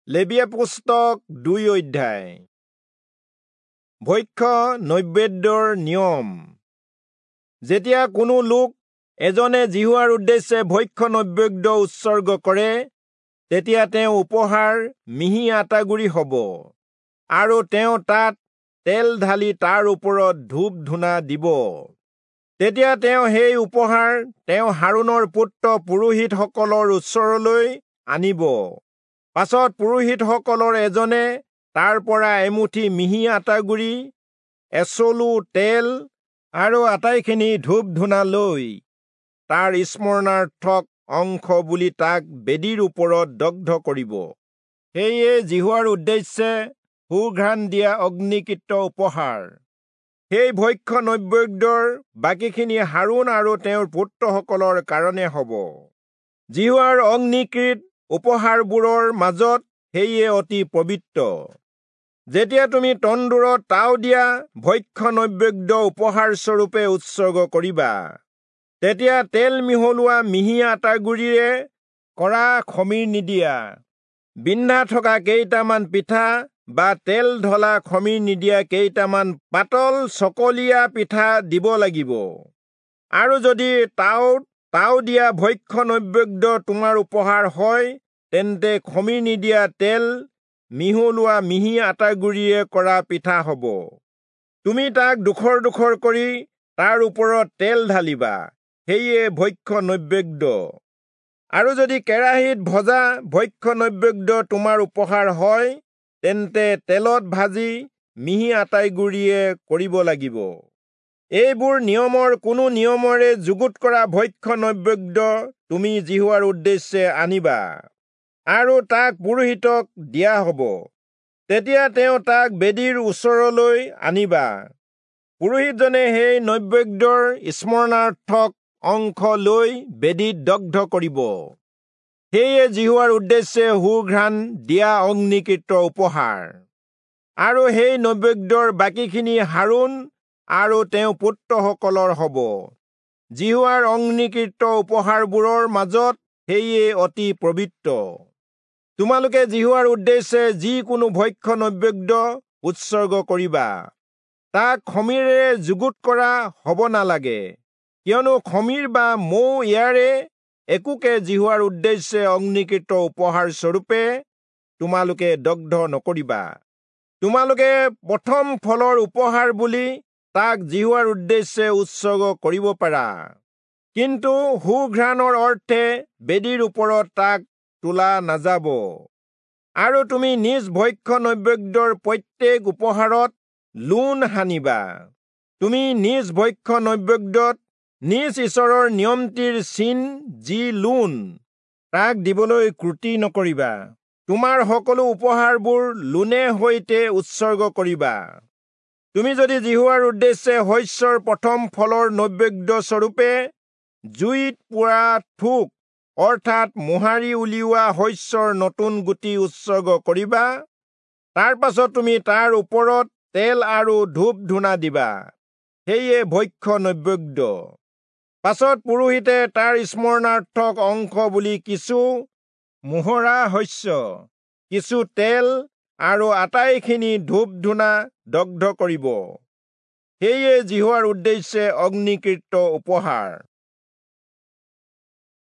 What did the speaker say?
লেবীয়া পুস্তক 2 অধ্যায়। ভক্ষ্য নৈবেদ্যৰ নিয়ম। যেতিয়া কোনো লোক এজনে যিহোৱাৰ উদ্দেশ্যে ভক্ষ্য নৈবেদ্য উৎসৰ্গ কৰে, তেতিয়া তেওঁ উপহাৰ মিহি আটাগুড়ি হ'ব, আৰু তেওঁ তাত তেল ঢালি তাৰ ওপৰত ধূপ ধূনা দিব। তেতিয়া তেওঁ সেই উপহাৰ তেওঁ হাৰোণৰ পুত্ৰ পুৰোহিতসকলৰ ওচৰলৈ আনিব। পাছত পুৰোহিতসকলৰ এজনে তাৰ পৰা এমুঠি মিহি আটাগুড়ি, এচলু তেল আৰু আটাইখিনি ধূপ ধূনা লৈ তাৰ স্মৰণাৰ্থক অংশ বুলি তাক বেদীৰ ওপৰত দগ্ধ কৰিব। সেয়ে যিহোৱাৰ উদ্দেশ্যে সুঘ্ৰাণ দিয়া অগ্নিকৃত উপহাৰ। সেই ভক্ষ্য নৈবেদ্যৰ বাকীখিনি হাৰোণ আৰু তেওঁৰ পুত্ৰসকলৰ কাৰণে হ'ব। যিহোৱাৰ অগ্নিকৃত উপহাৰবোৰৰ মাজত সেয়ে অতি পবিত্ৰ। যেতিয়া তুমি তন্দুৰত তাও দিয়া ভক্ষ্য নৈবেদ্য উপহাৰ স্বৰূপে উৎসৰ্গ কৰিবা, তেতিয়া তেল মিহলোৱা মিহি আটাগুড়িৰে কৰা খমীৰ নিদিয়া বিন্ধা থকা কেইটামান পিঠা বা তেল ঢলা খমীৰ নিদিয়া কেইটামান পাতল চকলীয়া পিঠা দিব লাগিব। আৰু যদি তাও দিয়া ভক্ষ্য নৈবেদ্য তোমাৰ উপহাৰ হয়, তেন্তে খমীৰ নিদিয়া তেল মিহলোৱা মিহি আটাগুড়িৰে কৰা পিঠা হ'ব। তুমি তাক ডোখৰ ডোখৰ কৰি তাৰ ওপৰত তেল ঢালিবা, সেয়ে ভক্ষ্য নৈবেদ্য। আৰু যদি কেৰাহীত ভজা ভক্ষ্য নৈবেদ্য তোমাৰ উপহাৰ হয়, তেন্তে তেলত ভাজি মিহি আটাইগুড়িয়ে কৰিব লাগিব। এইবোৰ নিয়মৰ কোনো নিয়মেৰে যুগুত কৰা ভক্ষ্য নৈবেদ্য তুমি যিহোৱাৰ উদ্দেশ্যে আনিবা, আৰু তাক পুৰোহিতক দিয়া হ'ব। তেতিয়া তেওঁ তাক বেদীৰ ওচৰলৈ আনিবা। পুৰোহিতজনে সেই নৈবেদ্যৰ স্মৰণাৰ্থক অংশ লৈ বেদীত দগ্ধ কৰিব। সেয়ে যিহোৱাৰ উদ্দেশ্যে সুঘ্ৰাণ দিয়া অগ্নিকৃত উপহাৰ। আৰু সেই নৈবেদ্যৰ বাকীখিনি হাৰোণ আৰু তেওঁ পুত্ৰসকলৰ হ'ব। যিহোৱাৰ অগ্নিকৃত উপহাৰবোৰৰ মাজত সেয়ে অতি পবিত্ৰ। তোমালোকে যিহোৱাৰ উদ্দেশ্যে যিকোনো ভক্ষ্য নৈবেদ্য উৎসৰ্গ কৰিবা, তাক খমীৰেৰে যুগুত কৰা হ'ব নালাগে, কিয়নো খমীৰ বা মৌ ইয়াৰে একোকে যিহোৱাৰ উদ্দেশ্যে অগ্নিকৃত উপহাৰ স্বৰূপে তোমালোকে দগ্ধ নকৰিবা। তোমালোকে প্ৰথম ফলৰ উপহাৰ বুলি তাক যিহোৱাৰ উদ্দেশ্যে উৎসৰ্গ কৰিব পাৰা, কিন্তু সুঘ্ৰাণৰ অৰ্থে বেদীৰ ওপৰত তাক তোলা নাযাব। আৰু তুমি নিজ ভক্ষ্য নৈবেদ্যৰ প্ৰত্যেক উপহাৰত লোণ সানিবা। তুমি নিজ ভক্ষ্য নৈবেদ্যত নিজ ঈশ্বৰৰ নিয়মটিৰ চিন যি লোণ, তাক দিবলৈ ক্ৰুটি নকৰিবা। তোমাৰ সকলো উপহাৰবোৰ লোণে সৈতে উৎসৰ্গ কৰিবা। তুমি যদি যিহোৱাৰ উদ্দেশ্যে শস্যৰ প্ৰথম ফলৰ নৈবেদ্য স্বৰূপে জুইত পোৰা থোক, অৰ্থাৎ মোহাৰি উলিওৱা শস্যৰ নতুন গুটি উৎসৰ্গ কৰিবা, তাৰ পাছত তুমি তাৰ ওপৰত তেল আৰু ধূপ ধূনা দিবা, সেয়ে ভক্ষ্য নৈবেদ্য। পাছত পুৰোহিতে তাৰ স্মৰণাৰ্থক অংশ বুলি কিছু মোহৰা শস্য, কিছু তেল আৰু আটাইখিনি ধূপ ধূনা দগ্ধ কৰিব। সেয়ে যিহোৱাৰ উদ্দেশ্যে অগ্নিকৃত উপহাৰ।